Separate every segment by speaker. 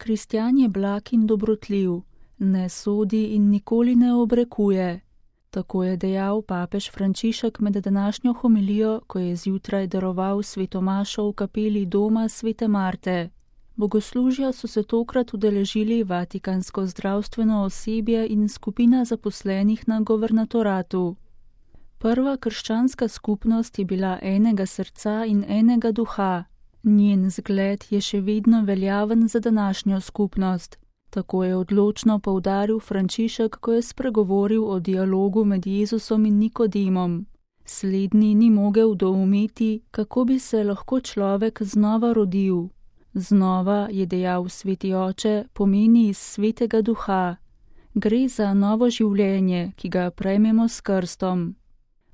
Speaker 1: Kristjan je blag in dobrotljiv, ne sodi in nikoli ne obrekuje. Tako je dejal papež Frančišek med današnjo homilijo, ko je zjutraj daroval svetomašo v kapeli doma svete Marte. Bogoslužja so se tokrat udeležili vatikansko zdravstveno osebje in skupina zaposlenih na governatoratu. Prva krščanska skupnost je bila enega srca in enega duha. Njen zgled je še vedno veljaven za današnjo skupnost. Tako je odločno poudaril Frančišek, ko je spregovoril o dialogu med Jezusom in Nikodemom. Slednji ni mogel doumeti, kako bi se lahko človek znova rodil. Znova, je dejal sveti oče, pomeni iz svetega duha. Gre za novo življenje, ki ga prejmemo s krstom.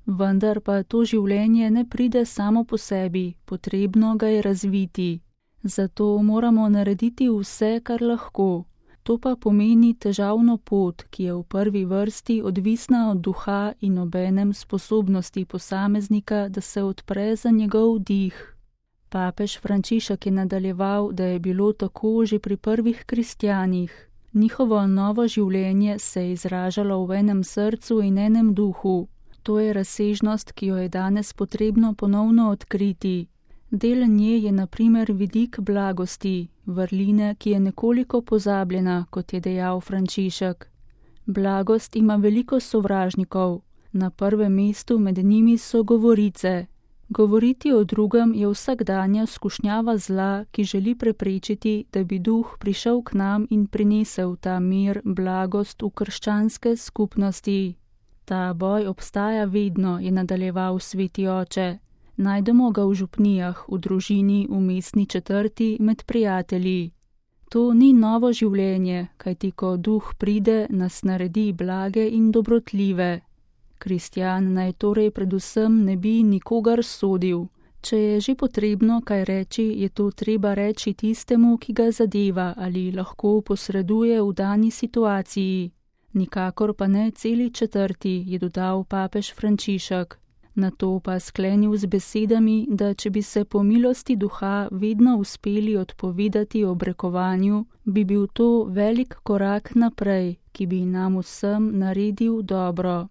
Speaker 1: Vendar pa to življenje ne pride samo po sebi, potrebno ga je razviti. Zato moramo narediti vse, kar lahko. To pa pomeni težavno pot, ki je v prvi vrsti odvisna od duha in obenem sposobnosti posameznika, da se odpre za njegov dih. Papež Frančišek je nadaljeval, da je bilo tako že pri prvih kristjanih. Njihovo novo življenje se je izražalo v enem srcu in enem duhu. To je razsežnost, ki jo je danes potrebno ponovno odkriti. Del nje je na primer vidik blagosti, vrline, ki je nekoliko pozabljena, kot je dejal Frančišek. Blagost ima veliko sovražnikov. Na prvem mestu med njimi so govorice. Govoriti o drugem je vsakdanja skušnjava zla, ki želi preprečiti, da bi duh prišel k nam in prinesel ta mir, blagost v krščanske skupnosti. Ta boj obstaja vedno, je nadaljeval sveti oče. Najdemo ga v župnijah, v družini, v mestni četrti, med prijatelji. To ni novo življenje, kajti ko duh pride, nas naredi blage in dobrotljive. Kristjan naj torej predvsem ne bi nikogar sodil. Če je že potrebno kaj reči, je to treba reči tistemu, ki ga zadeva ali lahko posreduje v dani situaciji. Nikakor pa ne celi četrti, je dodal papež Frančišek. Nato pa sklenil z besedami, da če bi se po milosti duha vedno uspeli odpovedati obrekovanju, bi bil to velik korak naprej, ki bi nam vsem naredil dobro.